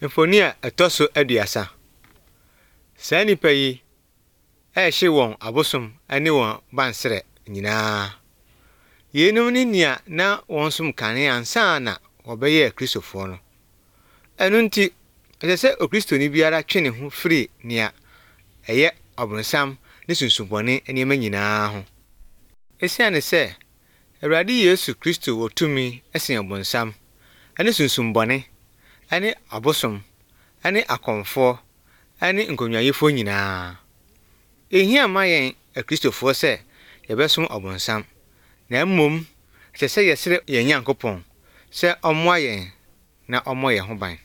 Mfoni a etoso aduasa. Saa nipa yi ehye won abosom ani won bansere nyinaa. Yenum ni nia na won som kane ansa na obeye kristofo no. Enu nti ese okristoni biara twene ho free nia eye obronsam ne sunsubone enema nyinaa ho. Esiane se Awurade Yesu Kristo wotumi esen obronsam ane sunsumbone ane abosom ane akomfo ane nkonwayefo nyinaa. Ehia ma yen akristofo se yebesom obronsam na mmom se yesere yen Nyankopon se omoa yen na omo ye ho ban.